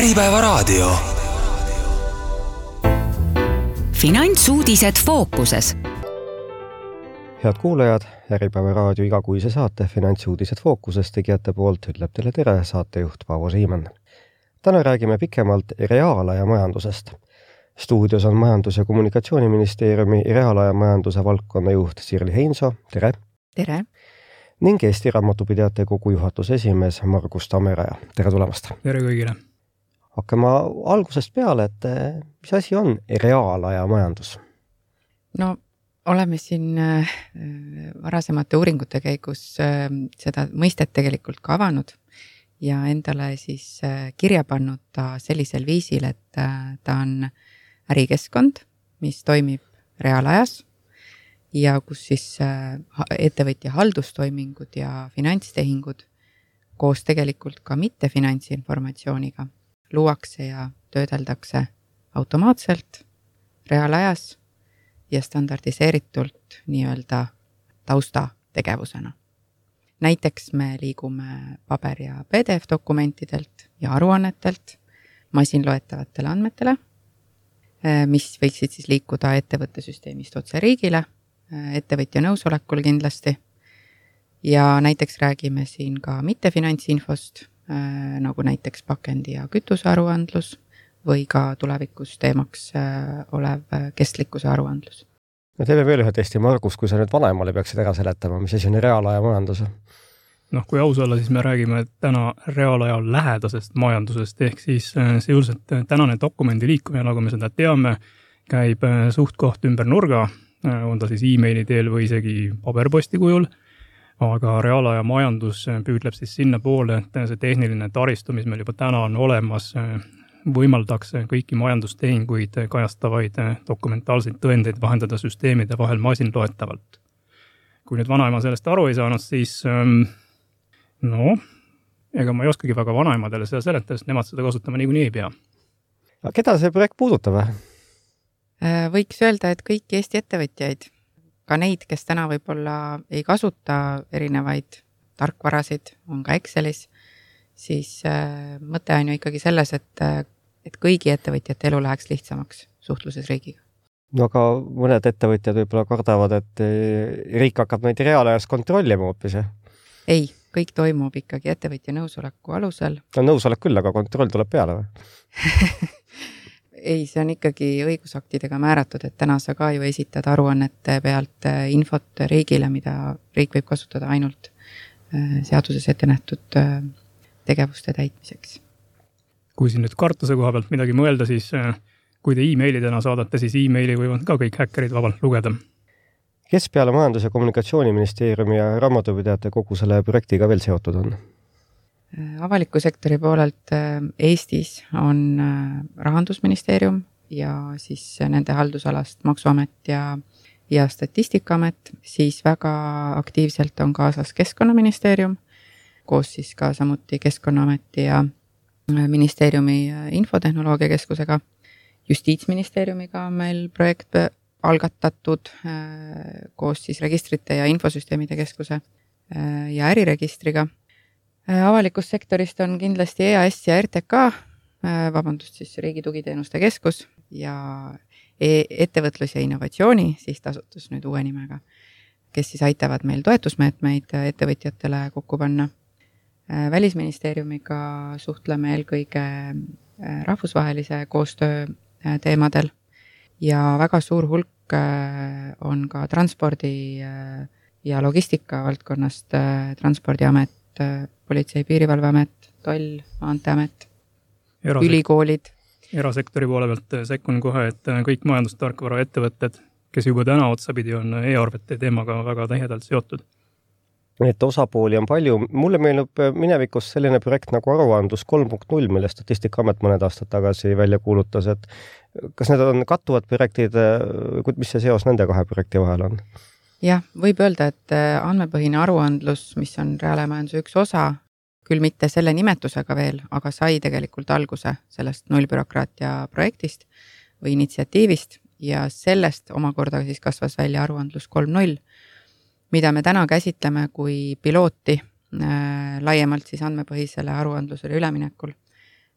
Äripäevaraadio. Finantsuudised fookuses. Head kuulajad, Äripäevaraadio igakuise saate Finantsuudised fookuses tegijate poolt ütleb teile tere saatejuht Paavo Siimann. Täna räägime pikemalt reaalaja majandusest. Stuudios on Majandus- ja Kommunikatsiooniministeeriumi reaalaja majanduse valdkonna juht Sirli Heinso. Tere! Tere! Ning Eesti Raamatupidajate Kogu juhatuse esimees Margus Tammeraja. Tere tulemast! Tere kõigile! Hakkame algusest peale, et mis asi on reaalaja majandus? No, oleme siin varasemate uuringute käigus seda mõistet tegelikult ka avanud ja endale siis kirja pannud ta sellisel viisil, et ta on ärikeskkond, mis toimib reaalajas ja kus siis ettevõtja haldustoimingud ja finantstehingud koos tegelikult ka mitte finantsinformatsiooniga luuakse ja töödeldakse automaatselt, reaalajas ja standardiseeritult nii-öelda taustategevusena. Näiteks me liigume paber- ja PDF-dokumentidelt ja aruannetelt masinloetavatele andmetele, mis võiksid siis liikuda ettevõtte süsteemist otse riigile, ettevõtja nõusolekul kindlasti. Ja näiteks räägime siin ka mitte finantsinfost, nagu näiteks pakendi- ja kütusearuandlus või ka tulevikus teemaks olev kestlikkuse aruandlus. No teeme veel ühe testi, Margus, kui sa nüüd vanemale peaksid ära seletama, mis asi on reaalaja majandus? Kui aus olla, siis me räägime täna reaalaja lähedasest majandusest, ehk siis sisuliselt tänane dokumendi liikumine, nagu me seda teame, käib suht koht ümber nurga, on ta siis e-maili teel või isegi paberposti kujul. Aga reaalaja majandus püüdleb siis sinna poole, et see tehniline taristu, mis meil juba täna on olemas, võimaldaks kõiki majandustehinguid kajastavaid dokumentaalseid tõendeid vahendada süsteemide vahel masinloetavalt. Kui nüüd vanaema sellest aru ei saanud, siis ega ma ei oskagi väga vanaemadele seda seletada, sest nemad seda kasutama niikuinii ei pea. Aga keda see projekt puudutab? Võiks öelda, et kõiki Eesti ettevõtjaid, ka neid, kes täna võib-olla ei kasuta erinevaid tarkvarasid, on ka Excelis, siis mõte on ju ikkagi selles, et kõigi ettevõtjate elu läheks lihtsamaks suhtluses riigiga. No aga mõned ettevõtjad võib-olla kardavad, et riik hakkab neid reaalajas kontrollima hoopis. Ei, kõik toimub ikkagi ettevõtja nõusoleku alusel. No nõusolek küll, aga kontroll tuleb peale või? Ei, see on ikkagi õigusaktidega määratud, et täna sa ka ju esitad aruannete pealt infot riigile, mida riik võib kasutada ainult seaduses ette nähtud tegevuste täitmiseks. Kui siin nüüd kartuse koha pealt midagi mõelda, siis kui te e-maili täna saadate, siis e-maili võivad ka kõik häkkerid vabalt lugeda. Kes peale Majandus- ja Kommunikatsiooniministeeriumi ja Raamatupidajate Kogu selle projektiga veel seotud on? Avaliku sektori poolelt Eestis on Rahandusministeerium ja siis nende haldusalast Maksuamet ja Statistikaamet, siis väga aktiivselt on kaasas Keskkonnaministeerium, koos siis ka samuti Keskkonnaameti ja ministeeriumi infotehnoloogia keskusega. Justiitsministeeriumiga on meil projekt algatatud koos siis registrite ja infosüsteemide keskuse ja äriregistriga. Avalikust sektorist on kindlasti EAS ja RTK, siis Riigi Tugiteenuste Keskus ja ettevõtlus ja innovatsiooni, siis tasutus nüüd uue nimega, kes siis aitavad meil toetusmeetmeid ettevõtjatele kokku panna. Välisministeeriumiga suhtleme eelkõige rahvusvahelise koostöö teemadel ja väga suur hulk on ka transpordi ja logistika valdkonnast Transpordiamet, Politsei- ja Piirivalveamet, Toll, Maanteeamet, ülikoolid. Erasektori poole pealt sekkun kohe, et kõik majandustarkvara ettevõtted, kes juba täna otsapidi on e-arvete teemaga väga täiedalt seotud. Et osapooli on palju. Mulle meenub minevikus selline projekt nagu aruandlus 3.0, mille Statistikaamet mõned aastad tagasi välja kuulutas, et kas need on kattuvad projektid, mis see seos nende kahe projekti vahel on? Jah, võib öelda, et andmepõhine aruandlus, mis on reaalajamajanduse üks osa, küll mitte selle nimetusega veel, aga sai tegelikult alguse sellest nullbürokraatia projektist või initsiatiivist ja sellest omakorda siis kasvas välja aruandlus 3.0, mida me täna käsitleme kui pilooti laiemalt siis andmepõhisele aruandlusele üleminekul.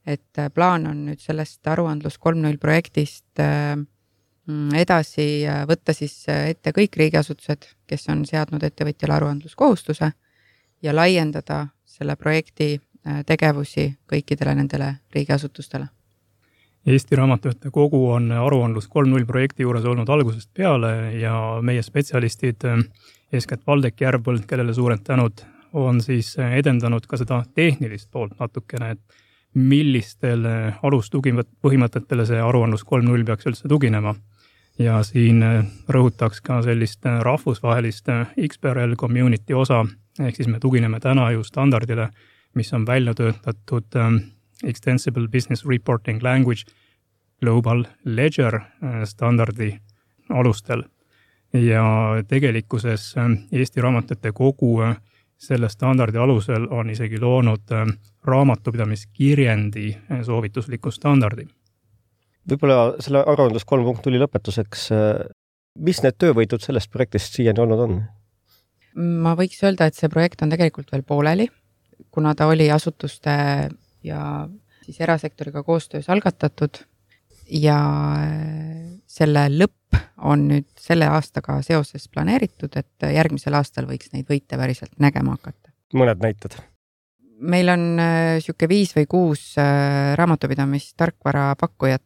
et plaan on nüüd sellest aruandlus 3.0 projektist edasi võtta siis ette kõik riigiasutused, kes on seadnud ettevõtjale aruandluskohustuse ja laiendada selle projekti tegevusi kõikidele nendele riigiasutustele. Eesti Raamatupidajate Kogu on aruandlus 3.0 projekti juures olnud algusest peale ja meie spetsialistid, eeskätt Valdek Järvpõld, kellele suured tänud, on siis edendanud ka seda tehnilist poolt natukene, et millistel alustugipõhimõtetele see aruandlus 3.0 peaks üldse tuginema. Ja siin rõhutaks ka sellist rahvusvahelist XBRL community osa, ehk siis me tugineme täna ju standardile, mis on välja töötatud Extensible Business Reporting Language Global Ledger standardi alustel. Ja tegelikkuses Eesti Raamatupidajate Kogu selle standardi alusel on isegi loonud raamatupidamiskirjendi soovitusliku standardi. Võib-olla selle aruandlus 3.0 lõpetuseks, mis need töövõitud sellest projektist siiani olnud on? Ma võiks öelda, et see projekt on tegelikult veel pooleli, kuna ta oli asutuste ja siis erasektoriga koostöös algatatud ja selle lõpp on nüüd selle aastaga seoses planeeritud, et järgmisel aastal võiks neid võite päriselt nägema hakata. Mõned näited? Meil on siuke 5 või 6 raamatupidamistarkvara pakkujat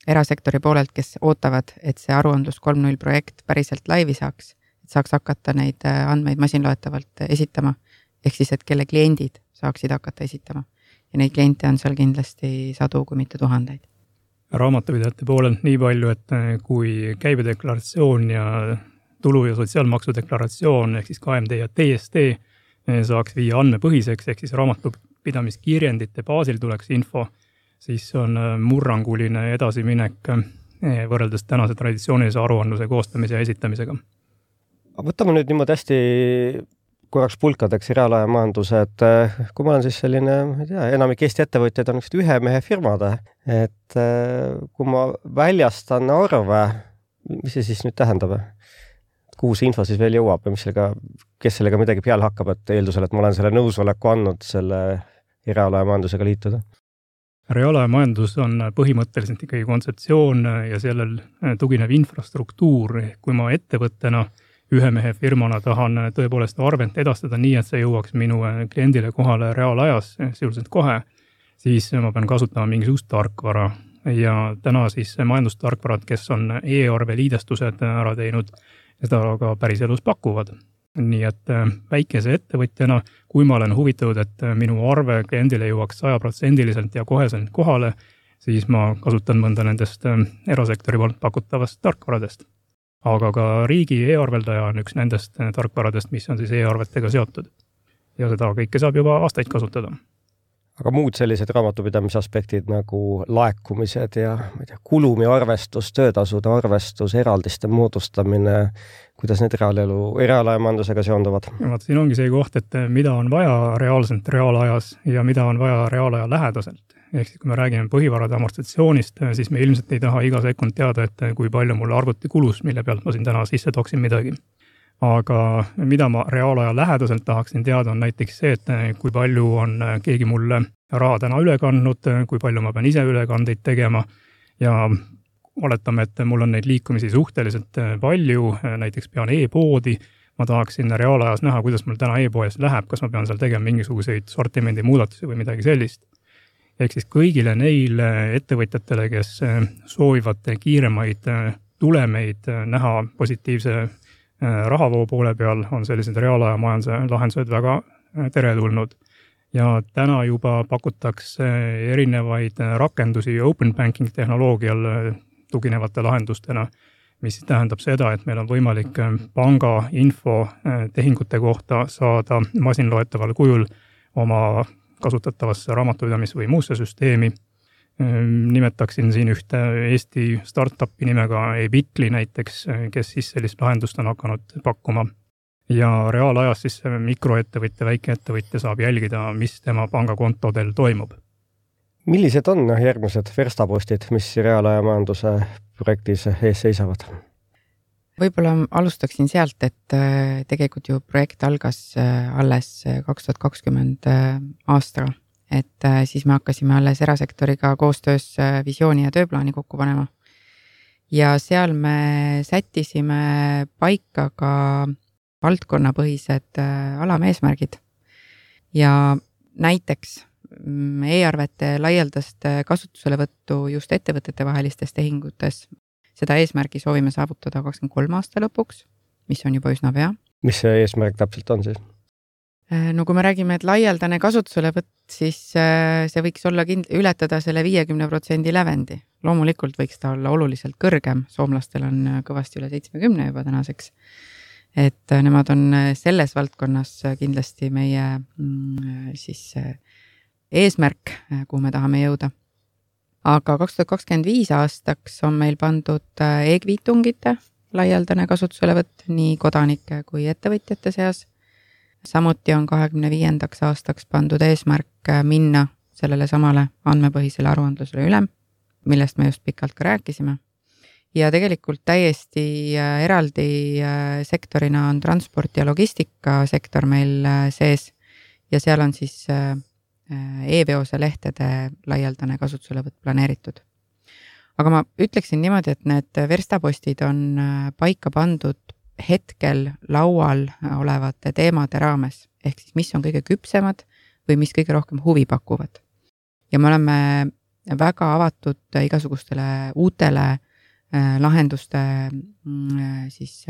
erasektori poolelt, kes ootavad, et see aruandlus 3.0 projekt päriselt laivi saaks, et saaks hakata neid andmeid masinloetavalt esitama, ehk siis, et kelle kliendid saaksid hakata esitama. Ja neid kliente on seal kindlasti sadu, kui mitte tuhandeid. Raamatupidajate poolelt nii palju, et kui käibedeklaratsioon ja tulu- ja sotsiaalmaksu deklaratsioon, ehk siis KMD ja TST saaks viia andmepõhiseks, ehk siis raamatupidamiskirjendite baasil tuleks info, siis on murranguline edasiminek võrreldes tänase traditsioonilise aruandluse koostamise ja esitamisega. Võtame nüüd niimoodi hästi korraks pulkadeks reaalaja majanduse, et kui ma olen siis selline, enamik Eesti ettevõtjaid on ühe mehe firmad, et kui ma väljastan arve, mis see siis nüüd tähendab? Kuhu see info siis veel jõuab ja kes sellega midagi peale hakkab, et eeldusel, et ma olen selle nõusoleku andnud selle reaalaja majandusega liituda? Reaalaja majandus on põhimõtteliselt ikkagi kontseptsioon ja sellel tuginev infrastruktuur, kui ma ettevõttena ühe mehe firmana tahan tõepoolest arvent edastada nii, et see jõuaks minu kliendile kohale reaalajas, sisuliselt kohe, siis ma pean kasutama mingisugust tarkvara. Ja täna siis majandustarkvarad, kes on e-arve liidestused ära teinud, seda ka päris elus pakuvad. Nii et väikese ettevõtjana, kui ma olen huvitatud, et minu arve kliendile jõuaks 100% ja koheselt kohale, siis ma kasutan mõnda nendest erasektori poolt pakutavast tarkvaradest. Aga ka riigi e-arveldaja on üks nendest tarkvaradest, mis on siis e-arvetega seotud. Ja seda kõike saab juba aastaid kasutada. Aga muud sellised raamatupidamise aspektid nagu laekumised ja kulumi arvestus, töötasude arvestus, eraldiste moodustamine, kuidas need reaalaja majandusega seonduvad? Siin ongi see koht, et mida on vaja reaalselt reaalajas ja mida on vaja reaalaja lähedaselt. Ehk kui me räägime põhivarade amortisatsioonist, siis me ilmselt ei taha iga sekund teada, et kui palju mul arvuti kulus, mille pealt ma siin täna sisse toksin midagi. Aga mida ma reaalaja lähedaselt tahaksin teada on näiteks see, et kui palju on keegi mulle raha täna üle kandnud, kui palju ma pean ise ülekandeid tegema ja oletame, et mul on neid liikumisi suhteliselt palju, näiteks pean e-poodi, ma tahaksin reaalajas näha, kuidas mul täna e-poes läheb, kas ma pean seal tegema mingisuguseid sortimendi muudatusi või midagi sellist. Ehk siis kõigile neile ettevõtjatele, kes soovivad kiiremaid tulemeid näha positiivse rahavoo poole peal, on sellised reaalaja majanduse lahendused väga teretulnud. Ja täna juba pakutakse erinevaid rakendusi open banking tehnoloogial tuginevate lahendustena, mis tähendab seda, et meil on võimalik panga info tehingute kohta saada masinloetaval kujul oma kasutatavasse raamatupidamis- või muusse süsteemi. Nimetaksin siin ühte Eesti startupi nimega eBitly näiteks, kes siis sellist lahendust on hakanud pakkuma. Ja reaalajas siis mikroettevõtja, väikeettevõtja saab jälgida, mis tema pangakontodel toimub. Millised on järgmised verstapostid, mis reaalaja majanduse projektis ees seisavad? Võib-olla alustaksin sealt, et tegelikult ju projekt algas alles 2020 aastaga et siis me hakkasime alles erasektoriga koostöös visiooni ja tööplaani kokku panema. Ja seal me sättisime paika ka valdkonnapõhised alameesmärgid ja näiteks e-arvete laialdast kasutuselevõttu just ettevõtete vahelistes tehingutes. Seda eesmärgi soovime saavutada 23 aasta lõpuks, mis on juba üsna pea. Mis see eesmärk täpselt on siis? No kui me räägime, et laialdane kasutuselevõtt, siis see võiks olla ületada selle 50% lävendi. Loomulikult võiks ta olla oluliselt kõrgem, soomlastel on kõvasti üle 70 juba tänaseks. Et nemad on selles valdkonnas kindlasti meie siis eesmärk, kuhu me tahame jõuda. Aga 2025 aastaks on meil pandud e-kviitungite laialdane kasutuselevõtt nii kodanike kui ettevõtjate seas. Samuti on 25. aastaks pandud eesmärk minna sellele samale andmepõhisele aruandlusele üle, millest me just pikalt ka rääkisime. Ja tegelikult täiesti eraldi sektorina on transport ja logistika sektor meil sees ja seal on siis e-veose lehtede laialdane kasutuselevõtt planeeritud. Aga ma ütleksin niimoodi, et need verstapostid on paika pandud hetkel laual olevate teemade raames, ehk siis mis on kõige küpsemad või mis kõige rohkem huvi pakuvad. Ja me oleme väga avatud igasugustele uutele lahenduste siis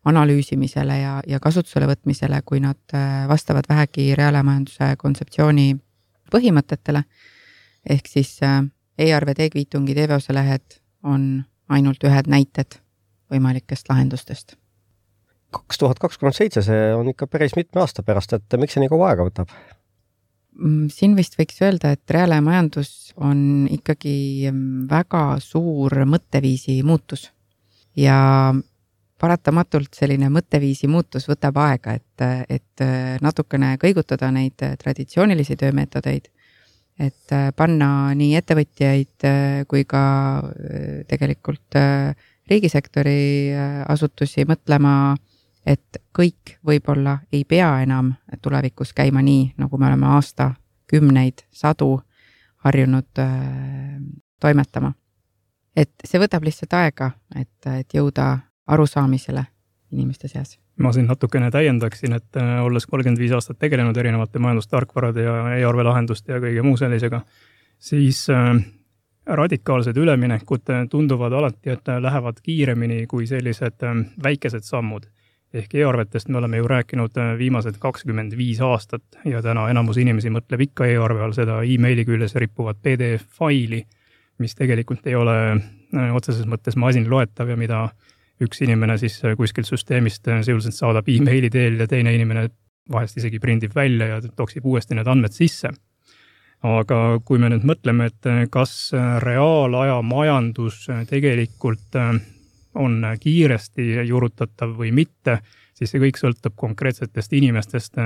analüüsimisele ja kasutusele võtmisele, kui nad vastavad vähegi reaalmajanduse kontseptsiooni põhimõtetele. Ehk siis e-arved, e-kviitungid, e-veose lehed on ainult ühed näited võimalikest lahendustest. 2027 see on ikka päris mitme aasta pärast, et miks see nii kaua aega võtab? Siin vist võiks öelda, et reaalmajandus on ikkagi väga suur mõtteviisi muutus ja paratamatult selline mõtteviisi muutus võtab aega, et natukene kõigutada neid traditsioonilisi töömeetodeid, et panna nii ettevõtjaid kui ka tegelikult riigisektori asutusi mõtlema, et kõik võib-olla ei pea enam tulevikus käima nii, nagu me oleme aastakümneid, sadu harjunud toimetama. Et see võtab lihtsalt aega, et jõuda arusaamisele inimeste seas. Ma siin natukene täiendaksin, et olles 35 aastat tegelenud erinevate majandustarkvarade ja e-arve lahenduste ja kõige muu sellisega, siis radikaalsed üleminekud tunduvad alati, et lähevad kiiremini kui sellised väikesed sammud. Ehk e-arvetest me oleme ju rääkinud viimased 25 aastat ja täna enamus inimesi mõtleb ikka e-arve all seda e-maili küljes rippuvat PDF-faili, mis tegelikult ei ole otseses mõttes masinloetav ja mida üks inimene siis kuskilt süsteemist sisuliselt saadab e-maili teel ja teine inimene vahest isegi prindib välja ja toksib uuesti need andmed sisse. Aga kui me nüüd mõtleme, et kas reaalaja majandus tegelikult on kiiresti juurutatav või mitte, siis see kõik sõltub konkreetsetest inimestest,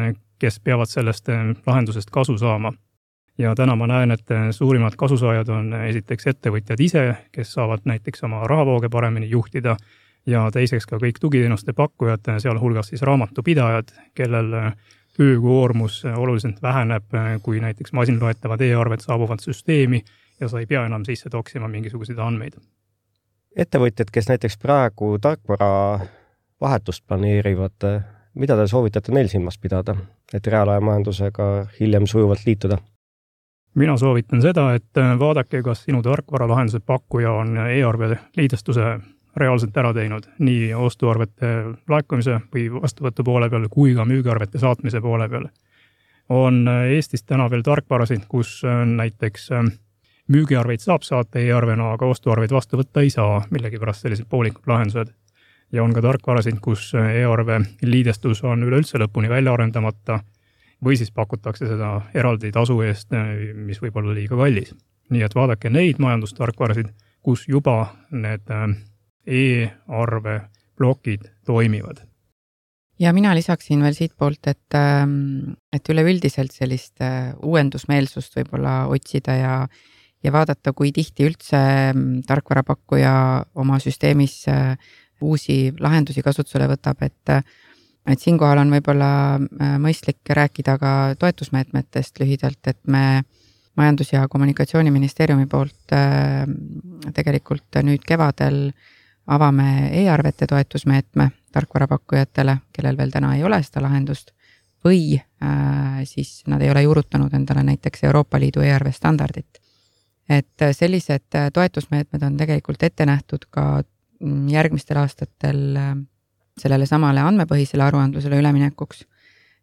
kes peavad sellest lahendusest kasu saama. Ja täna ma näen, et suurimad kasusaajad on esiteks ettevõtjad ise, kes saavad näiteks oma rahavooge paremini juhtida ja teiseks ka kõik tugiteenuste pakkujad, sealhulgas siis raamatupidajad, kellel töökoormus oluliselt väheneb, kui näiteks masinloetavad e-arved saabuvad süsteemi ja sa ei pea enam sisse toksima mingisuguseid andmeid. Ettevõtjad, kes näiteks praegu tarkvara vahetust planeerivad, mida te soovitate neil silmas pidada, et reaalaja majandusega hiljem sujuvalt liituda? Mina soovitan seda, et vaadake, kas sinu tarkvaralahenduse pakkuja on e-arve liidestuse reaalselt ära teinud, nii ostuarvete laekumise või vastuvõtu poole peal, kui ka müügiarvete saatmise poole peal. On Eestis täna veel tarkvarasid, kus näiteks müügiarveid saab saata e-arvena, aga ostuarveid vastu võtta ei saa, millegi pärast sellised poolikud lahendused. Ja on ka tarkvarasid, kus e-arve liidestus on üleüldse lõpuni välja arendamata või siis pakutakse seda eraldi tasu eest, mis võib olla liiga kallis. Nii et vaadake neid majandustarkvarasid, kus juba need e-arve plokid toimivad. Ja mina lisaksin veel siit poolt, et üleüldiselt sellist uuendusmeelsust võib-olla otsida ja vaadata, kui tihti üldse tarkvarapakkuja oma süsteemis uusi lahendusi kasutusele võtab, et Et siinkohal on võib-olla mõistlik rääkida ka toetusmeetmetest lühidalt, et me Majandus- ja Kommunikatsiooniministeeriumi poolt tegelikult nüüd kevadel avame e-arvete toetusmeetme tarkvarapakkujatele, kellel veel täna ei ole seda lahendust, või siis nad ei ole juurutanud endale näiteks Euroopa Liidu e-arve standardit. Et sellised toetusmeetmed on tegelikult ette nähtud ka järgmistel aastatel sellele samale andmepõhisele aruandlusele üleminekuks,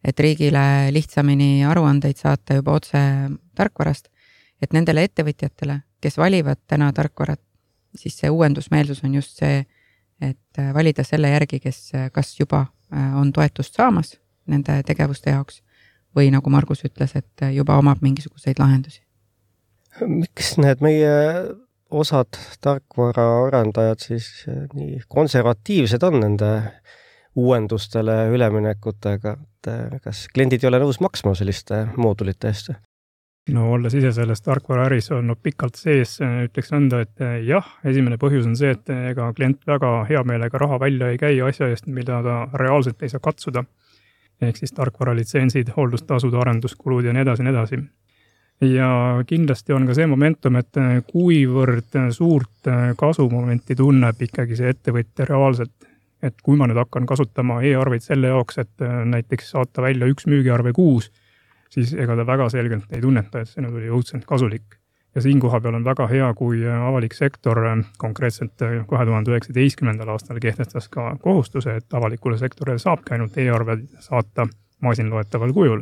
et riigile lihtsamini aruandeid saata juba otse tarkvarast, et nendele ettevõtjatele, kes valivad täna tarkvarat, siis see uuendusmeelsus on just see, et valida selle järgi, kes kas juba on toetust saamas nende tegevuste jaoks või nagu Margus ütles, et juba omab mingisuguseid lahendusi. Miks need meie osad tarkvaraarendajad siis nii konservatiivsed on nende uuendustele üleminekutega, et kas kliendid ei ole nõus maksma selliste moodulite eest? No olles ise selles tarkvaraäris olnud pikalt sees, ütleks nõnda, et jah, esimene põhjus on see, et ega klient väga hea meelega raha välja ei käi asja eest, mida ta reaalselt ei saa katsuda. Ehk siis tarkvaralitsentsid, hooldustasud, arenduskulud ja nii edasi, nii edasi. Ja kindlasti on ka see momentum, et kuivõrd suurt kasumomenti tunneb ikkagi see ettevõtja reaalselt, et kui ma nüüd hakkan kasutama e-arveid selle jaoks, et näiteks saata välja 1 müügiarve kuus, siis ega ta väga selgelt ei tunneta, et see nüüd oli õudselt kasulik. Ja siin koha peal on väga hea, kui avalik sektor konkreetselt 2019. aastal kehtestas ka kohustuse, et avalikule sektorile saabki ainult e-arved saata masinloetaval kujul.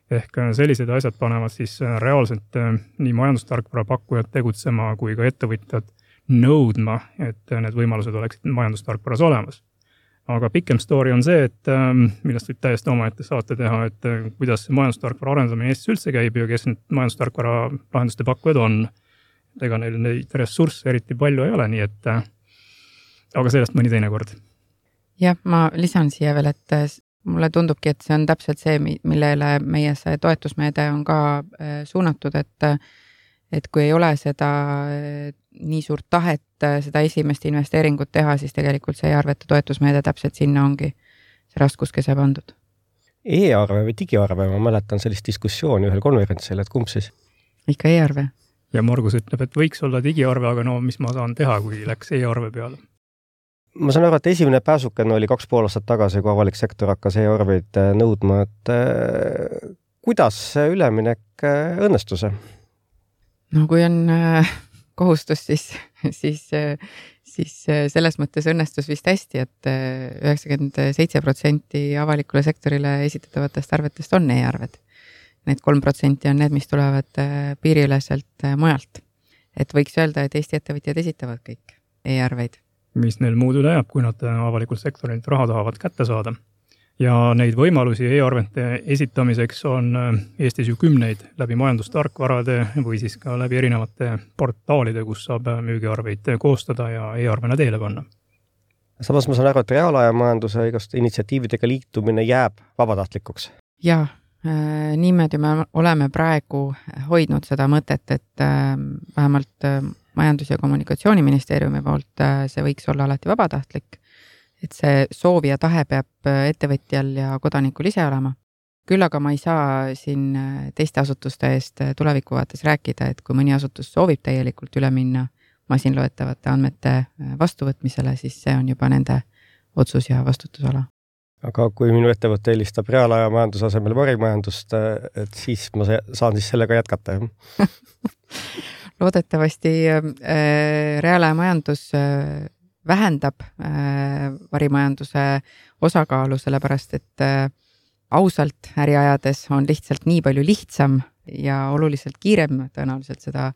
Ehk sellised asjad panevad siis reaalselt nii majandustarkvara pakkujad tegutsema kui ka ettevõtjad nõudma, et need võimalused oleksid majandustarkvaras olemas. Aga pikem story on see, et millest võib täiesti omaette saate teha, et kuidas see majandustarkvara arendamine Eestis üldse käib ja kes need majandustarkvara lahenduste pakkujad on. Ega neil neid ressursse eriti palju ei ole, nii et aga sellest mõni teine kord. Jah, ma lisan siia veel, et mulle tundubki, et see on täpselt see, millele meie see toetusmeede on ka suunatud, et kui ei ole seda nii suurt tahet seda esimest investeeringut teha, siis tegelikult see e-arvete toetusmeede täpselt sinna ongi see raskuskese pandud. E-arve või digiarve, ma mäletan sellist diskussiooni ühel konverentsil, et kumb siis? Ikka e-arve. Ja Margus ütleb, et võiks olla digiarve, aga no mis ma saan teha, kui läks e-arve peale? Ma saan aru, et esimene pääsukene oli 2,5 aastat tagasi, kui avalik sektor hakkas e-arveid nõudma, et kuidas see üleminek õnnestus? No kui on kohustus, siis selles mõttes õnnestus vist hästi, et 97% avalikule sektorile esitatavatest arvetest on e-arved. Need 3% on need, mis tulevad piiriüleselt mujalt. Et võiks öelda, et Eesti ettevõtjad esitavad kõik e-arveid. Mis neil muud üle jääb, kui nad avalikult sektorilt raha tahavad kätte saada. Ja neid võimalusi e-arvete esitamiseks on Eestis ju 10 läbi majandustarkvarade või siis ka läbi erinevate portaalide, kus saab müügiarveid koostada ja e-arvena teele panna. Samas ma saan aru, et reaalajamajanduse igaste initsiatiividega liitumine jääb vabatahtlikuks. Jaa, niimoodi me oleme praegu hoidnud seda mõtet, et vähemalt Majandus- ja Kommunikatsiooniministeeriumi poolt see võiks olla alati vabatahtlik. Et see soov ja tahe peab ettevõtjal ja kodanikul ise olema. Küll aga ma ei saa siin teiste asutuste eest tulevikuvaates rääkida, et kui mõni asutus soovib täielikult üle minna masinloetavate andmete vastuvõtmisele, siis see on juba nende otsus ja vastutusala. Aga kui minu ettevõte eelistab reaalajamajanduse asemel varimajandust, et siis ma saan siis sellega jätkata. Loodetavasti reaalajamajandus vähendab varimajanduse osakaalu, sellepärast et ausalt äriajades on lihtsalt nii palju lihtsam ja oluliselt kiirem tõenäoliselt seda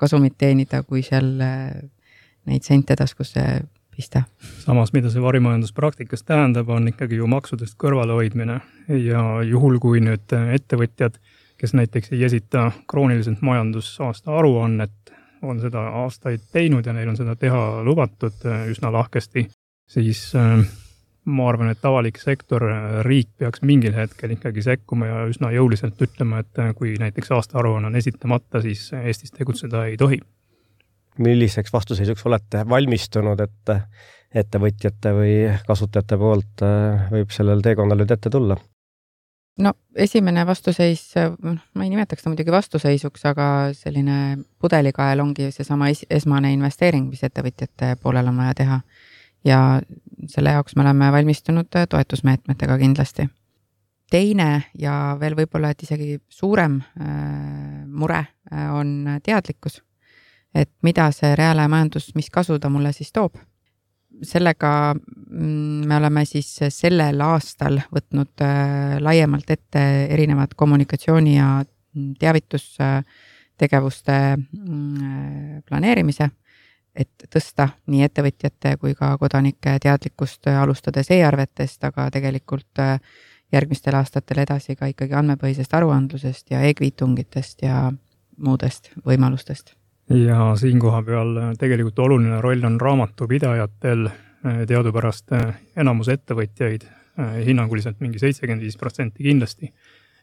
kasumit teenida, kui seal neid sente taskusse pista. Samas, mida see varimajandus praktikas tähendab, on ikkagi ju maksudest kõrvalehoidmine ja juhul, kui nüüd ettevõtjad, kes näiteks ei esita krooniliselt majandusaasta aruannet, on seda aastaid teinud ja neil on seda teha lubatud üsna lahkesti, siis ma arvan, et avalik sektor, riik peaks mingil hetkel ikkagi sekkuma ja üsna jõuliselt ütlema, et kui näiteks aastaaruanne on esitamata, siis Eestis tegutseda ei tohi. Milliseks vastuseisuks olete valmistunud, et ettevõtjate või kasutajate poolt võib sellel teekonnal nüüd ette tulla? No esimene vastuseis, ma ei nimetaks ta muidugi vastuseisuks, aga selline pudelikael ongi seesama esmane investeering, mis ettevõtjate poolel on vaja teha. Ja selle jaoks me oleme valmistunud toetusmeetmetega kindlasti. Teine ja veel võib-olla, et isegi suurem mure on teadlikkus, et mida see reaalajamajandus, mis kasu ta mulle siis toob. Sellega me oleme siis sellel aastal võtnud laiemalt ette erinevad kommunikatsiooni ja teavitustegevuste planeerimise, et tõsta nii ettevõtjate kui ka kodanike teadlikkust alustades e-arvetest, aga tegelikult järgmistel aastatel edasi ka ikkagi andmepõhisest aruandlusest ja e-kviitungitest ja muudest võimalustest. Ja siin koha peal tegelikult oluline roll on raamatupidajatel, teadupärast enamus ettevõtjaid, hinnanguliselt mingi 75% kindlasti,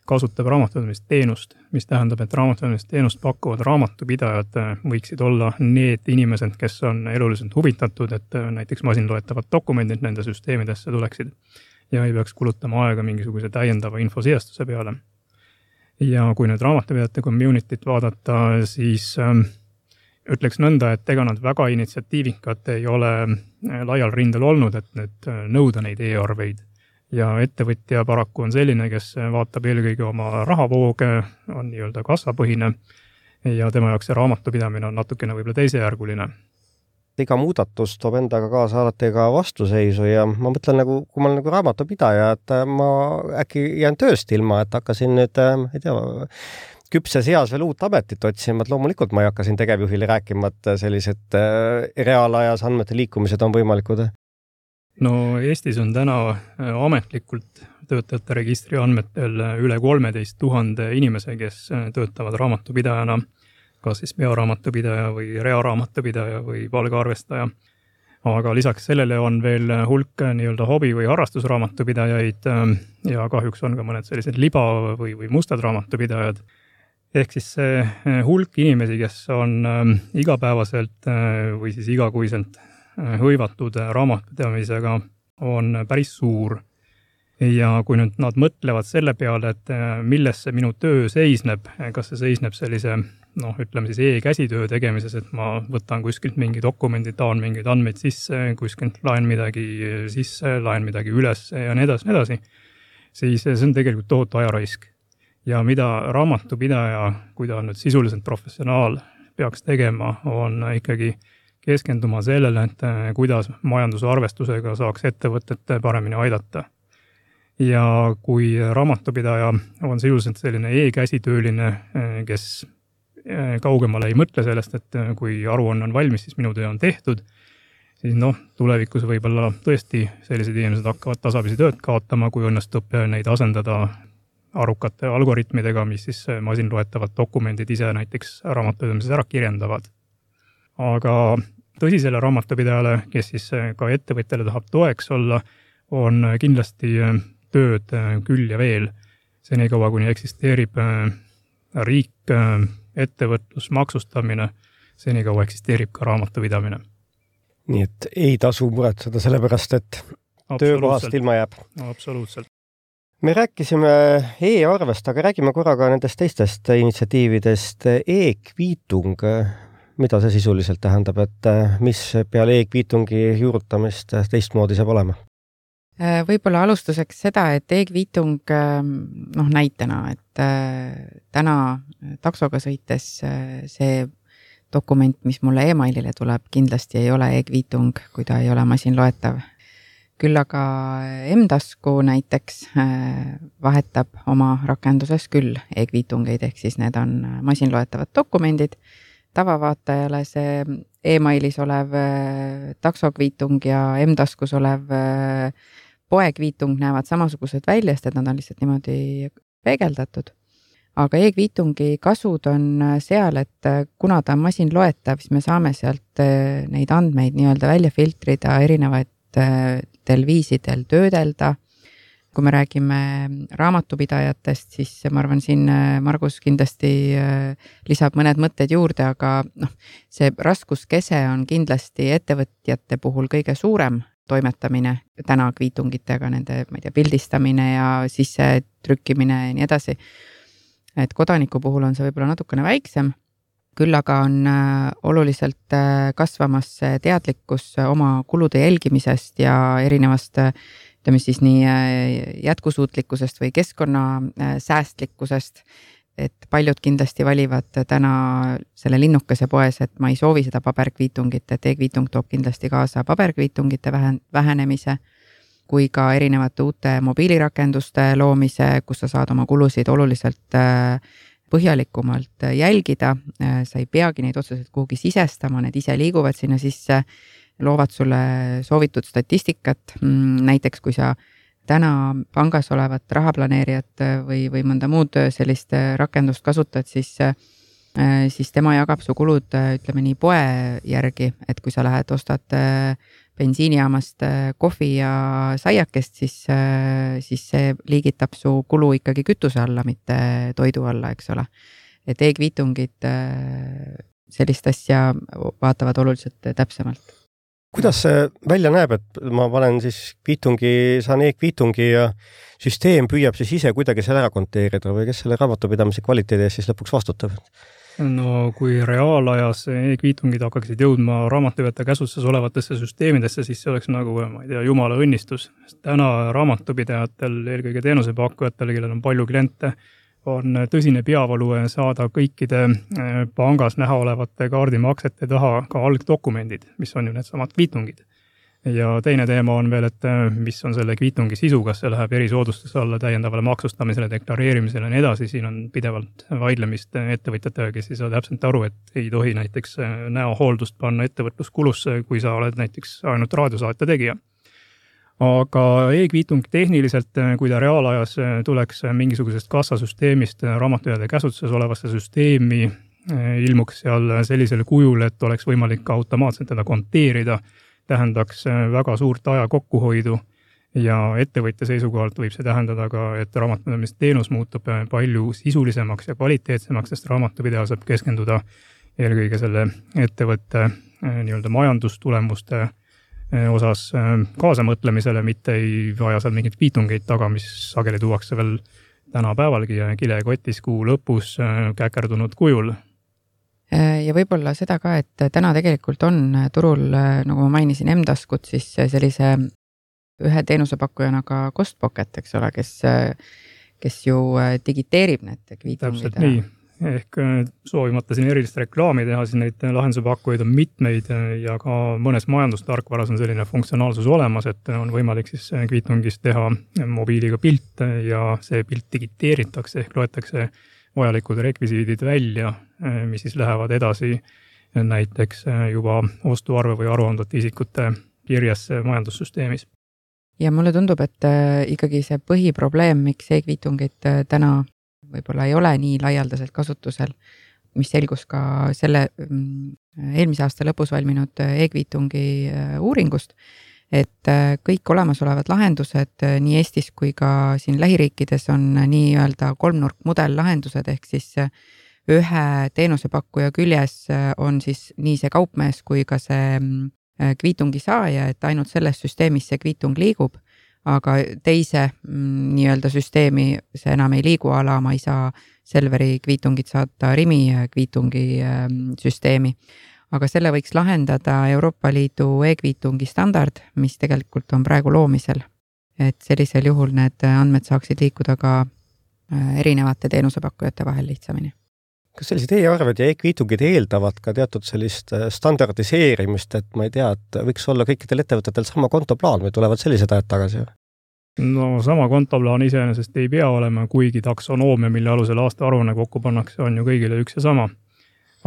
kasutab raamatupidamisteenust, mis tähendab, et raamatupidamisteenust pakkuvad raamatupidajad võiksid olla need inimesed, kes on eluliselt huvitatud, et näiteks masinloetavad dokumendid nende süsteemidesse tuleksid ja ei peaks kulutama aega mingisuguse täiendava infosijastuse peale. Ja kui nüüd raamatupidajate communityt vaadata, siis ütleks nõnda, et ega nad väga initsiatiivikad ei ole laial rindel olnud, et nüüd nõuda neid e-arveid. Ja ettevõtja paraku on selline, kes vaatab eelkõige oma rahavooge, on nii-öelda kassapõhine ja tema jaoks see raamatupidamine on natukene võib-olla teisejärguline. Iga muudatus toob endaga kaasa alati ka vastuseisu ja ma mõtlen, kui ma olen raamatupidaja, et ma äkki jään tööst ilma, et hakkasin nüüd, ei tea, küpses eas veel uut ametit otsima, et loomulikult ma ei hakka siin tegevjuhile rääkima, et sellised reaalajas andmete liikumised on võimalikud. No Eestis on täna ametlikult töötajate registri andmetel üle 13 000 inimese, kes töötavad raamatupidajana, kas siis pearaamatupidaja või rearaamatupidaja või palgaarvestaja. Aga lisaks sellele on veel hulk nii-öelda hobi- või harrastusraamatupidajaid ja kahjuks on ka mõned sellised liba- või mustad raamatupidajad. Ehk siis see hulk inimesi, kes on igapäevaselt või siis igakuiselt hõivatud raamatupidamisega, on päris suur. Ja kui nüüd nad mõtlevad selle peale, et milles see minu töö seisneb, kas see seisneb sellise, ütleme siis e-käsitöö tegemises, et ma võtan kuskilt mingi dokumendi, taan mingeid andmeid sisse, kuskilt laen midagi sisse, laen midagi üles ja nii edasi, siis see on tegelikult tohutu ajaraisk. Ja mida raamatupidaja, kui ta on nüüd sisuliselt professionaal, peaks tegema, on ikkagi keskenduma sellele, et kuidas majanduse arvestusega saaks ettevõtet paremini aidata. Ja kui raamatupidaja on sisuliselt selline e-käsitööline, kes kaugemale ei mõtle sellest, et kui aruanne on valmis, siis minu töö on tehtud, siis tulevikus võib-olla tõesti sellised inimesed hakkavad tasapisi tööd kaotama, kui õnnestub neid asendada arukate algoritmidega, mis siis masinloetavad dokumendid ise näiteks raamatupidamises ära kirjendavad. Aga tõsisele raamatupidajale, kes siis ka ettevõtjale tahab toeks olla, on kindlasti tööd küll ja veel. Senikaua, kuni eksisteerib riik, ettevõtlus, maksustamine, senikaua eksisteerib ka raamatupidamine. Nii et ei tasu muretseda sellepärast, et töökohast ilma jääb. Absoluutselt. Me rääkisime e-arvest, aga räägime korraga nendest teistest initsiatiividest. E-kviitung, mida see sisuliselt tähendab, et mis peale e-kviitungi juurutamist teistmoodi saab olema? Võib-olla alustuseks seda, et e-kviitung näitena, et täna taksoga sõites see dokument, mis mulle e-mailile tuleb, kindlasti ei ole e-kviitung, kui ta ei ole masinloetav. Küll aga M-tasku näiteks vahetab oma rakenduses küll e-kviitungeid, ehk siis need on masinloetavad dokumendid. Tavavaatajale see e-mailis olev taksokviitung ja M-taskus olev poekviitung näevad samasugused välja, sest nad on lihtsalt niimoodi peegeldatud. Aga e-kviitungi kasud on seal, et kuna ta on masinloetav, siis me saame sealt neid andmeid nii-öelda välja filtrida erinevaid viisidel töödelda, kui me räägime raamatupidajatest, siis ma arvan, siin Margus kindlasti lisab mõned mõtted juurde, aga see raskuskese on kindlasti ettevõtjate puhul kõige suurem toimetamine täna kviitungitega, nende pildistamine ja sisse trükkimine ja nii edasi. Et kodaniku puhul on see võib-olla natukene väiksem, küll aga on oluliselt kasvamas teadlikkus oma kulude jälgimisest ja erinevast ütleme siis nii jätkusuutlikkusest või keskkonna säästlikkusest, et paljud kindlasti valivad täna selle linnukese poes, et ma ei soovi seda paberkviitungit, et e-kviitung toob kindlasti kaasa paberkviitungite vähenemise, kui ka erinevate uute mobiilirakenduste loomise, kus sa saad oma kulusid oluliselt põhjalikumalt jälgida, sa ei peagi neid otseselt kuhugi sisestama, need ise liiguvad sinna sisse, loovad sulle soovitud statistikat, näiteks kui sa täna pangas olevat rahaplaneerijat või mõnda muud sellist rakendust kasutad, siis tema jagab su kulud, ütleme nii, poe järgi, et kui sa lähed ostad bensiinijaamast kohvi ja saiakest, siis see liigitab su kulu ikkagi kütuse alla, mitte toidu alla, eks ole. Et e-kviitungid sellist asja vaatavad oluliselt täpsemalt. Kuidas see välja näeb, et ma panen siis saan e-kviitungi ja süsteem püüab siis ise kuidagi selle ära konteerida või kes selle raamatupidamise kvaliteedi eest siis lõpuks vastutab? No kui reaalajas e-kviitungid hakkaksid jõudma raamatupidajate käsutuses olevatesse süsteemidesse, siis see oleks nagu, ma ei tea, jumala õnnistus. Täna raamatupidajatel, eelkõige teenusepakkujatel, kellel on palju kliente, on tõsine peavalu saada kõikide pangas näha olevate kaardimaksete taha ka algdokumendid, mis on ju needsamad kviitungid. Ja teine teema on veel, et mis on selle kviitungi sisu, kas see läheb erisoodustuse alla täiendavale maksustamisele, deklareerimisele ja nii edasi, siin on pidevalt vaidlemist ettevõtjatega, kes ei saa täpselt aru, et ei tohi näiteks näohooldust panna ettevõtluskulusse, kui sa oled näiteks ainult raadiosaate tegija. Aga e-kviitung tehniliselt, kui ta reaalajas tuleks mingisugusest kassasüsteemist raamatupidajate käsutuses olevasse süsteemi, ilmuks seal sellisel kujul, et oleks võimalik ka automaatselt teda konteerida, tähendaks väga suurt aja kokkuhoidu ja ettevõtja seisukohalt võib see tähendada ka, et raamatupidamisteenus muutub palju sisulisemaks ja kvaliteetsemaks, sest raamatupidaja saab keskenduda eelkõige selle ettevõtte nii-öelda majandustulemuste osas kaasamõtlemisele, mitte ei vaja seal mingit kviitungeid taga, mis sageli tuuakse veel tänapäevalgi kilekotis kuu lõpus käkerdunud kujul. Ja võib-olla seda ka, et täna tegelikult on turul, nagu ma mainisin, M-taskut, siis sellise ühe teenusepakkujana ka Costpocket, eks ole, kes ju digiteerib need kviitungid. Täpselt nii. Ehk soovimata siin erilist reklaami teha, siis neid lahenduse pakkujaid on mitmeid ja ka mõnes majandustarkvaras on selline funktsionaalsus olemas, et on võimalik siis kviitungist teha mobiiliga pilt ja see pilt digiteeritakse ehk loetakse vajalikud rekvisiidid välja, mis siis lähevad edasi näiteks juba ostuarve või aruandvate isikute kirjasse majandussüsteemis. Ja mulle tundub, et ikkagi see põhiprobleem, miks e-kviitungid täna võib-olla ei ole nii laialdaselt kasutusel, mis selgus ka selle eelmise aasta lõpus valminud e-kviitungi uuringust, et kõik olemasolevad lahendused nii Eestis kui ka siin lähiriikides on nii-öelda kolmnurkmudel lahendused, ehk siis ühe teenusepakkuja küljes on siis nii see kaupmees kui ka see kviitungi saaja, et ainult selles süsteemis see kviitung liigub, aga teise nii-öelda süsteemi see enam ei liigu ala, ma ei saa Selveri kviitungit saata Rimi kviitungi süsteemi. Aga selle võiks lahendada Euroopa Liidu e-kviitungi standard, mis tegelikult on praegu loomisel. Et sellisel juhul need andmed saaksid liikuda ka erinevate teenusepakkujate vahel lihtsamini. Kas sellised e-arved ja e-kviitungid eeldavad ka teatud sellist standardiseerimist, et ma ei tea, et võiks olla kõikidel ettevõtetel sama kontoplaan või tulevad sellised ajad tagasi? No sama kontoplaan iseenesest ei pea olema, kuigi taksonoomia, mille alusel aasta aruanne kokku pannakse, on ju kõigile üks ja sama.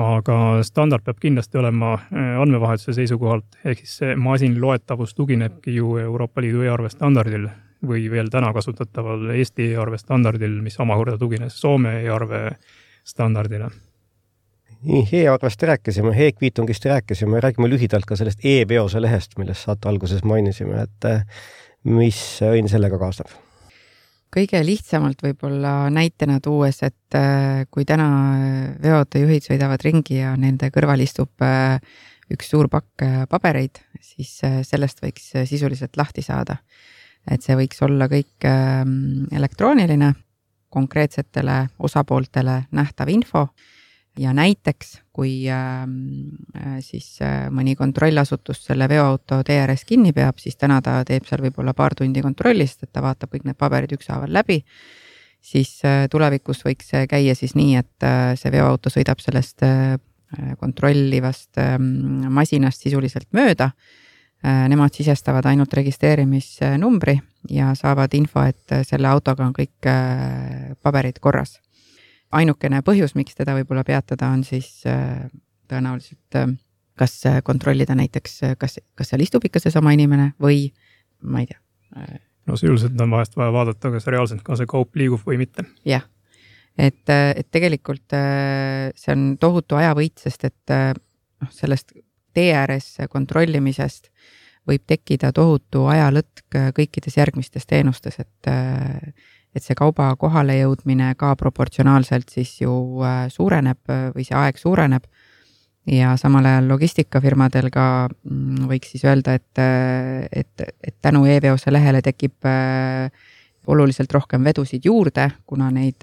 Aga standard peab kindlasti olema andmevahetuse seisukohalt, ehk siis see masinloetavus tuginebki ju Euroopa Liidu e-arve standardil või veel täna kasutataval Eesti e-arve standardil, mis omakorda tugines Soome e-arve standardile. Nii, e-arvest rääkisime, e-kviitungist rääkisime, räägime lühidalt ka sellest e-peose lehest, millest saate alguses mainisime, et mis õnn sellega kaasneb? kõige lihtsamalt võib-olla näitena tuues, et kui täna veoautojuhid sõidavad ringi ja nende kõrval istub üks suur pakk pabereid, siis sellest võiks sisuliselt lahti saada. Et see võiks olla kõik elektrooniline, konkreetsetele osapooltele nähtav info ja näiteks, kui siis mõni kontrollasutus selle veoauto TRS kinni peab, siis täna ta teeb seal võib-olla paar tundi kontrollist, et ta vaatab kõik need paberid ükshaaval läbi, siis tulevikus võiks see käia siis nii, et see veoauto sõidab sellest kontrollivast masinast sisuliselt mööda. Nemad sisestavad ainult registreerimisnumbri ja saavad info, et selle autoga on kõik paberid korras. Ainukene põhjus, miks teda võib-olla peatada, on siis tõenäoliselt kas kontrollida näiteks, kas seal istub ikka see sama inimene või ma ei tea. No sisuliselt on vahest vaja vaadata, kas reaalselt ka see kaup liigub või mitte. Jah, et tegelikult see on tohutu ajavõit, sest et sellest TRS kontrollimisest võib tekkida tohutu ajalõtk kõikides järgmistes teenustes, et see kauba kohale jõudmine ka proportsionaalselt siis ju suureneb või see aeg suureneb ja samal ajal logistikafirmadel ka võiks siis öelda, et tänu e-veose lehele tekib oluliselt rohkem vedusid juurde, kuna neid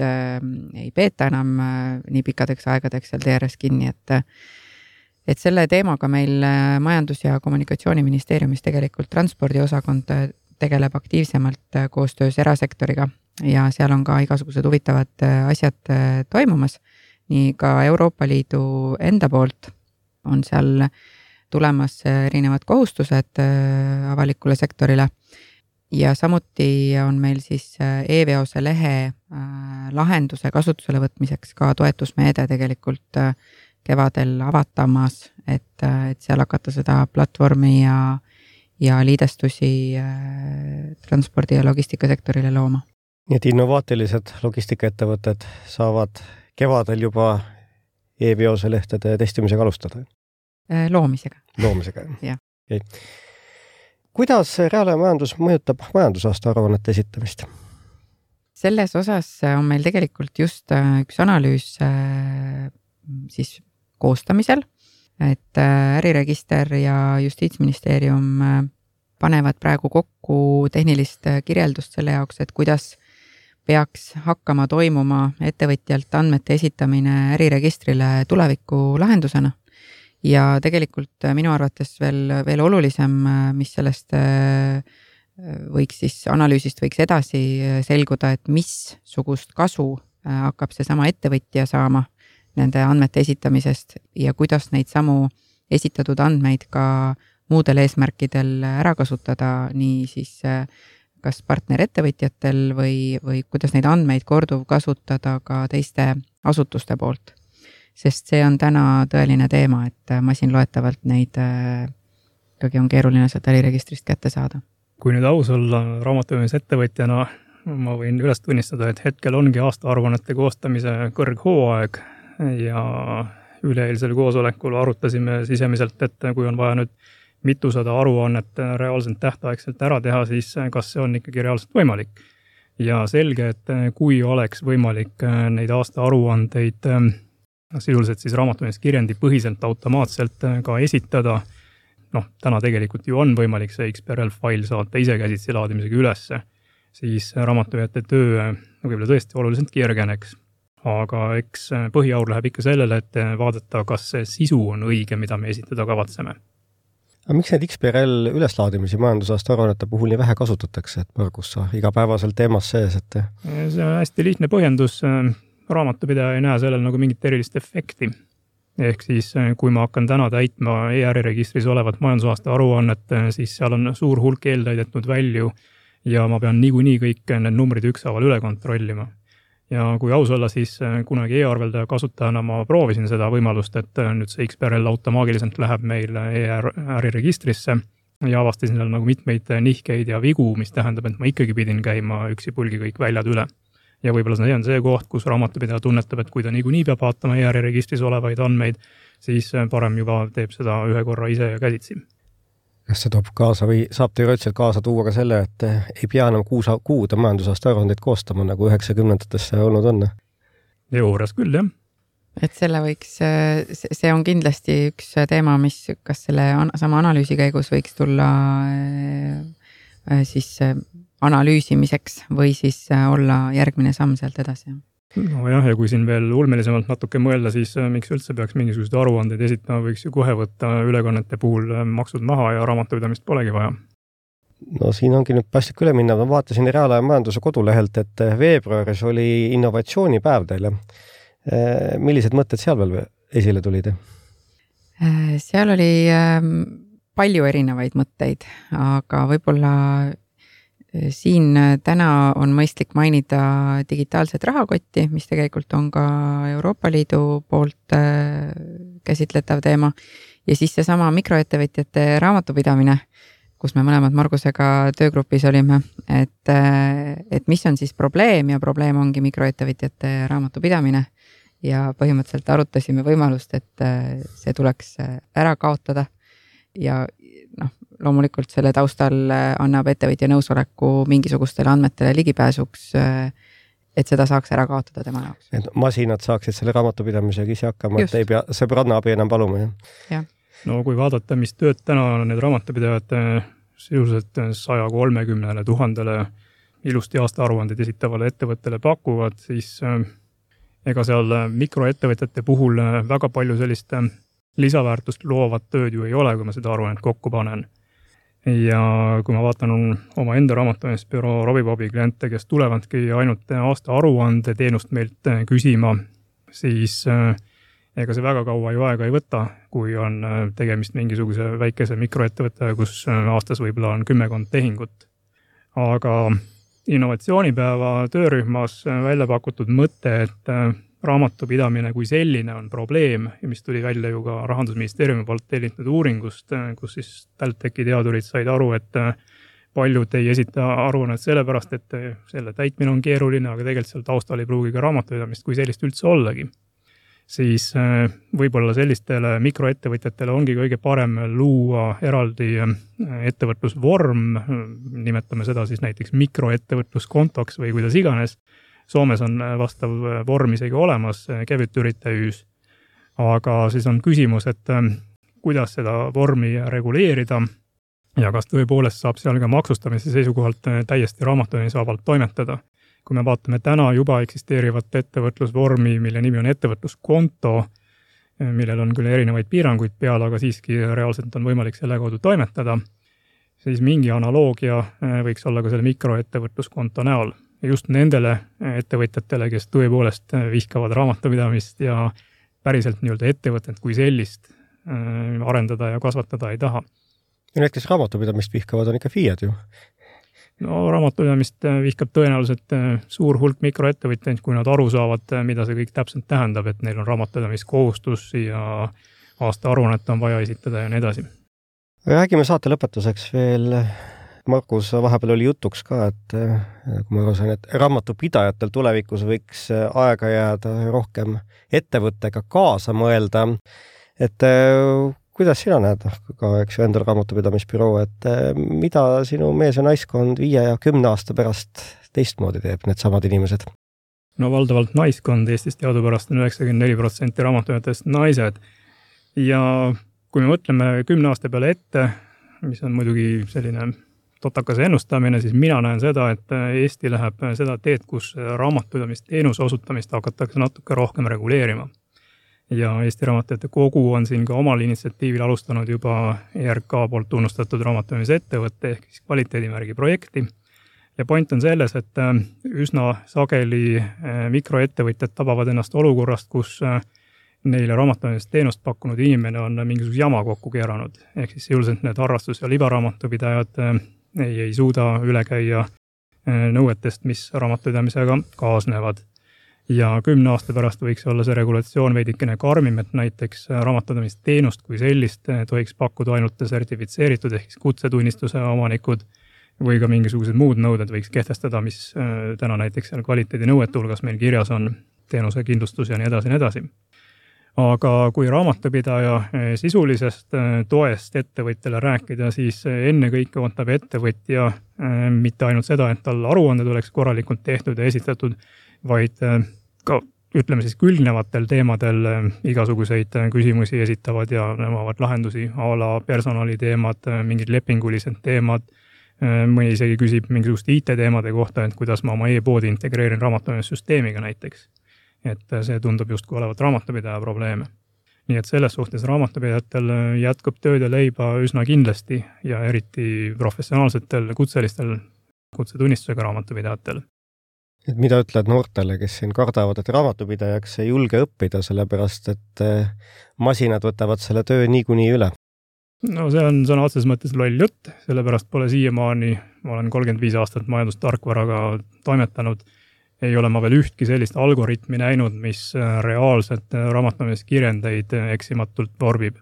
ei peeta enam nii pikkadeks aegadeks seal TRS kinni, et selle teemaga meil Majandus- ja Kommunikatsiooniministeeriumis tegelikult transpordiosakond tegeleb aktiivsemalt koostöös erasektoriga ja seal on ka igasugused huvitavad asjad toimumas. Nii ka Euroopa Liidu enda poolt on seal tulemas erinevad kohustused avalikule sektorile ja samuti on meil siis e-veose lehe lahenduse kasutusele võtmiseks ka toetusmeede tegelikult kevadel avatamas, et seal hakata seda platvormi ja liidestusi transpordi- ja logistikasektorile looma. Nii et innovaatilised logistikaettevõtted saavad kevadel juba e-veose lehtede testimisega alustada? Loomisega. Loomisega, jah. Okay. Kuidas reaalajamajandus mõjutab majandusaasta aruannete esitamist? Selles osas on meil tegelikult just üks analüüs siis koostamisel, et äriregister ja Justiitsministeerium panevad praegu kokku tehnilist kirjeldust selle jaoks, et kuidas peaks hakkama toimuma ettevõtjalt andmete esitamine äriregistrile tuleviku lahendusena. Ja tegelikult minu arvates veel olulisem, mis sellest võiks siis analüüsist võiks edasi selguda, et missugust kasu hakkab see sama ettevõtja saama nende andmete esitamisest ja kuidas neid samu esitatud andmeid ka muudel eesmärkidel ära kasutada, nii siis kas partnerettevõtjatel või kuidas neid andmeid korduv kasutada ka teiste asutuste poolt. Sest see on täna tõeline teema, et masinloetavalt neid ikkagi on keeruline sealt äriregistrist kätte saada. Kui nüüd aus olla raamatupidamisettevõtjana, ma võin üles tunnistada, et hetkel ongi aastaaruannete koostamise kõrghooaeg ja üleeilsel koosolekul arutasime sisemiselt, et kui on vaja nüüd mitusada aruannet reaalselt tähtaegselt ära teha, siis kas see on ikkagi reaalselt võimalik. Ja selge, et kui oleks võimalik neid aasta aruandeid sisuliselt siis raamatupidamiskirjendi põhiselt automaatselt ka esitada, täna tegelikult ju on võimalik see XBRL-fail saata ise käsitsi laadimisega ülesse, siis raamatupidajate töö võib-olla tõesti oluliselt kergeneks. Aga eks põhiaur läheb ikka sellele, et vaadata, kas see sisu on õige, mida me esitada kavatseme. Aga miks neid XBRL üleslaadimisi majandusaasta aruannete puhul nii vähe kasutatakse, et põrgus sa igapäevaselt teemas sees? See on hästi lihtne põhjendus. Raamatupidaja ei näe sellel nagu mingit erilist efekti. Ehk siis, kui ma hakkan täna täitma ER-registris olevat majandusaasta aruannet, siis seal on suur hulk eeltäidetnud välju ja ma pean niikuinii kõik need numbrid ükshaaval üle kontrollima. Ja kui aus olla, siis kunagi e-arveldaja kasutajana ma proovisin seda võimalust, et nüüd see XBRL automaagiliselt läheb meil e-äriregistrisse ja avastasin seal nagu mitmeid nihkeid ja vigu, mis tähendab, et ma ikkagi pidin käima üksipulgi kõik väljad üle. Ja võib-olla see on see koht, kus raamatupidaja tunnetab, et kui ta niikuinii peab vaatama e-äriregistris olevaid andmeid, siis parem juba teeb seda ühe korra ise ja käsitsi. Kas see toob kaasa või saab teoreetiliselt kaasa tuua ka selle, et ei pea enam kuude majandusaasta aruandeid koostama, nagu 90-ndatesse olnud on? Juures küll, jah. Et selle võiks, see on kindlasti üks teema, mis kas selle sama analüüsi käigus võiks tulla siis analüüsimiseks või siis olla järgmine samm sealt edasi. No jah, ja kui siin veel ulmelisemalt natuke mõelda, siis miks üldse peaks mingisugused aruandeid esitama, võiks ju kohe võtta ülekannete puhul maksud maha ja raamatupidamist polegi vaja. No siin ongi nüüd päästik üle minna. Ma vaatasin Reaalaja majanduse kodulehelt, et veebruaris oli innovatsioonipäev teile. Millised mõtted seal veel esile tulid? Seal oli palju erinevaid mõtteid, aga võib-olla siin täna on mõistlik mainida digitaalset rahakotti, mis tegelikult on ka Euroopa Liidu poolt käsitletav teema. Ja siis see sama mikroettevõtjate raamatupidamine, kus me mõlemad Margusega töögrupis olime, et mis on siis probleem ja probleem ongi mikroettevõtjate raamatupidamine. Ja põhimõtteliselt arutasime võimalust, et see tuleks ära kaotada ja loomulikult selle taustal annab ettevõtja nõusoleku mingisugustele andmetele ligipääsuks, et seda saaks ära kaotada tema jaoks. Et masinad saaksid selle raamatupidamisega ise hakkama, et ei pea sõbranna abi enam paluma. Ja. No kui vaadata, mis tööd täna need raamatupidajad sisuliselt 130 000 ilusti aastaaruandeid esitavale ettevõttele pakuvad, siis ega seal mikroettevõtjate puhul väga palju sellist lisaväärtust loovat tööd ju ei ole, kui ma seda aruannet kokku panen. Ja kui ma vaatan oma enda raamatupidamisbüroo Robibobi kliente, kes tulevadki ainult aasta aruande teenust meilt küsima, siis ega see väga kaua ju aega ei võta, kui on tegemist mingisuguse väikese mikroettevõtte, kus aastas võib-olla on 10 tehingut. Aga innovatsioonipäeva töörühmas välja pakutud mõte, et raamatupidamine kui selline on probleem, mis tuli välja ju ka Rahandusministeeriumi poolt tellitud uuringust, kus siis TalTechi teadurid said aru, et paljud ei esita aruannet sellepärast, et selle täitmine on keeruline, aga tegelikult seal taustal ei pruugi ka raamatupidamist kui sellist üldse ollagi. Siis võib-olla sellistele mikroettevõtjatele ongi kõige parem luua eraldi ettevõtlusvorm, nimetame seda siis näiteks mikroettevõtluskontoks või kuidas iganes. Soomes on vastav vorm isegi olemas, kevytyrittäjyys, aga siis on küsimus, et kuidas seda vormi reguleerida ja kas tõepoolest saab seal ka maksustamise seisukohalt täiesti raamatupidamisvabalt toimetada. Kui me vaatame täna juba eksisteerivat ettevõtlusvormi, mille nimi on ettevõtluskonto, millel on küll erinevaid piiranguid peal, aga siiski reaalselt on võimalik selle kaudu toimetada, siis mingi analoogia võiks olla ka selle mikroettevõtluskonto näol. Ja just nendele ettevõtjatele, kes tõepoolest vihkavad raamatupidamist ja päriselt nii-öelda ettevõtet kui sellist arendada ja kasvatada ei taha. Ja need, kes raamatupidamist vihkavad, on ikka FIAd ju. No raamatupidamist vihkab tõenäoliselt suur hulk mikroettevõtjaid, kui nad aru saavad, mida see kõik täpselt tähendab, et neil on raamatupidamiskohustus ja aasta aruannet on vaja esitada ja nii edasi. Räägime saate lõpetuseks veel. Markus, vahepeal oli jutuks ka, et kui ma arvasin, et raamatupidajatel tulevikus võiks aega jääda rohkem ettevõttega kaasa mõelda, et kuidas sina näed ka endal raamatupidamisbüroo, et mida sinu mees ja naiskond 5 ja 10 aasta pärast teistmoodi teeb need samad inimesed? No valdavalt naiskond, Eestis teadupärast on 94% raamatupidajatest naised. Ja kui me mõtleme 10 aasta peale ette, mis on muidugi selline totakase ennustamine, siis mina näen seda, et Eesti läheb seda teed, kus raamatupidamist teenuse osutamist hakatakse natuke rohkem reguleerima. Ja Eesti Raamatupidajate Kogu on siin ka omal initsiatiivil alustanud juba ERK poolt tunnustatud raamatupidamise ettevõtte ehk siis kvaliteedimärgi projekti. Ja point on selles, et üsna sageli mikroettevõtjad tabavad ennast olukorrast, kus neile raamatupidamist teenust pakkunud inimene on mingisuguse jama kokku keeranud. Ehk siis jõuliselt need harrastus- ja libaraamatupidajad ei suuda üle käia nõuetest, mis raamatupidamisega kaasnevad. Ja 10 aasta pärast võiks olla see regulatsioon veidikene karmim, et näiteks raamatupidamist teenust kui sellist tohiks pakkuda ainult sertifitseeritud ehk kutsetunnistuse omanikud või ka mingisugused muud nõuded võiks kehtestada, mis täna näiteks kvaliteedi nõuete hulgas meil kirjas on, teenuse kindlustus ja nii edasi. aga kui raamatupidaja sisulisest toest ettevõtjale rääkida, siis ennekõike ootab ettevõtja mitte ainult seda, et tal aruanded oleks korralikult tehtud ja esitatud, vaid ka ütleme siis külgnevatel teemadel igasuguseid küsimusi esitavad ja nõuavad lahendusi, a la personaliteemad, mingid lepingulised teemad, mõni isegi küsib mingisugust IT-teemade kohta, et kuidas ma oma e-poodi integreerin raamatupidamissüsteemiga näiteks. Et see tundub justkui olevat raamatupidaja probleeme. Nii et selles suhtes raamatupidajatel jätkub tööd ja leiba üsna kindlasti ja eriti professionaalsetel kutselistel kutsetunnistusega raamatupidajatel. Et mida ütled noortele, kes siin kardavad, et raamatupidajaks ei julge õppida, sellepärast et masinad võtavad selle töö niikuinii üle? No see on sõna otseses mõttes loll jutt, sellepärast pole siiamaani, ma olen 35 aastat majandustarkvaraga toimetanud, ei ole ma veel ühtki sellist algoritmi näinud, mis reaalselt raamatupidamiskirjendeid eksimatult vorbib.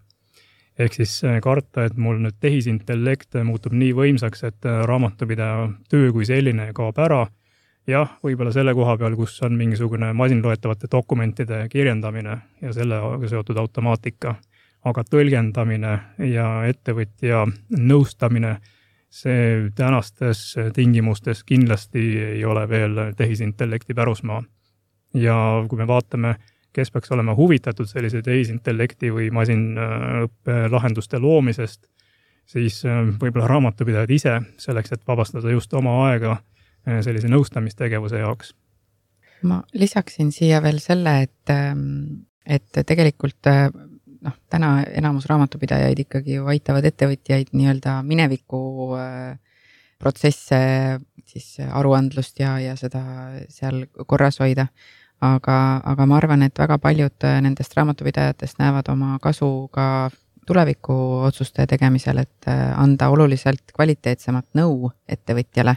Ehk siis karta, et mul nüüd tehisintellekt muutub nii võimsaks, et raamatupidaja töö kui selline kaob ära. Jah, võib-olla selle koha peal, kus on mingisugune masinloetavate dokumentide kirjendamine ja sellega seotud automaatika, aga tõlgendamine ja ettevõtja nõustamine, see tänastes tingimustes kindlasti ei ole veel tehisintellekti pärusmaa. Ja kui me vaatame, kes peaks olema huvitatud sellise tehisintellekti või masinõppe lahenduste loomisest, siis võib-olla raamatupidajad ise selleks, et vabastada just oma aega sellise nõustamistegevuse jaoks. Ma lisaksin siia veel selle, et tegelikult täna enamus raamatupidajaid ikkagi ju aitavad ettevõtjaid nii-öelda mineviku protsesse, siis aruandlust ja seda seal korras hoida. Aga ma arvan, et väga paljud nendest raamatupidajatest näevad oma kasu ka tuleviku otsuste tegemisel, et anda oluliselt kvaliteetsemat nõu ettevõtjale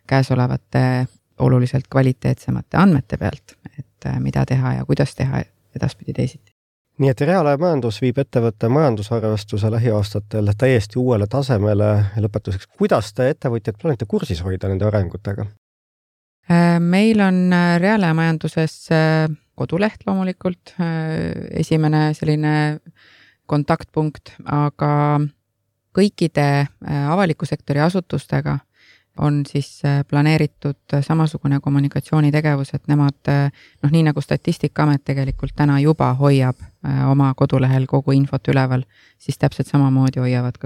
käesolevate oluliselt kvaliteetsemate andmete pealt, et mida teha ja kuidas teha edaspidi teisiti. Nii et reaalaja majandus viib ettevõtte majandusarvestuse lähiaastatel täiesti uuele tasemele. Lõpetuseks, kuidas te ettevõtjad plaanite kursis hoida nende arengutega? Meil on reaalaja majanduses koduleht loomulikult, esimene selline kontaktpunkt, aga kõikide avaliku sektori asutustega on siis planeeritud samasugune kommunikatsioonitegevus, et nemad, nii nagu Statistikaamet tegelikult täna juba hoiab oma kodulehel kogu infot üleval, siis täpselt samamoodi hoiavad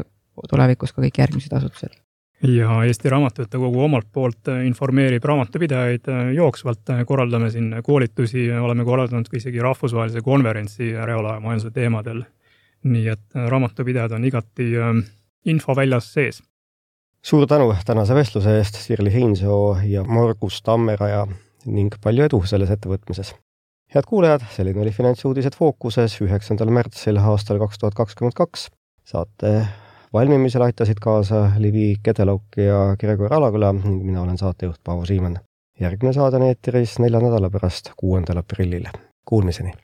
tulevikus ka kõik järgmised asutused. Ja Eesti Raamatupidajate Kogu omalt poolt informeerib raamatupidajaid jooksvalt, korraldame siin koolitusi, oleme korraldanud isegi rahvusvahelise konverentsi reaalaja majanduse teemadel. Nii et raamatupidajad on igati info väljas sees. Suur tänu tänase vestluse eest, Sirli Heinsoo ja Margus Tammeraja ning palju edu selles ettevõtmises. Head kuulajad, selline oli Finantsuudised Fookuses 9. märtsil aastal 2022. Saate valmimisel aitasid kaasa Livi Kedelauk ja Gregor Alaküla ning mina olen saatejuht Paavo Siimann. Järgmine saade on eetris 4 nädala pärast 6. aprillil. Kuulmiseni!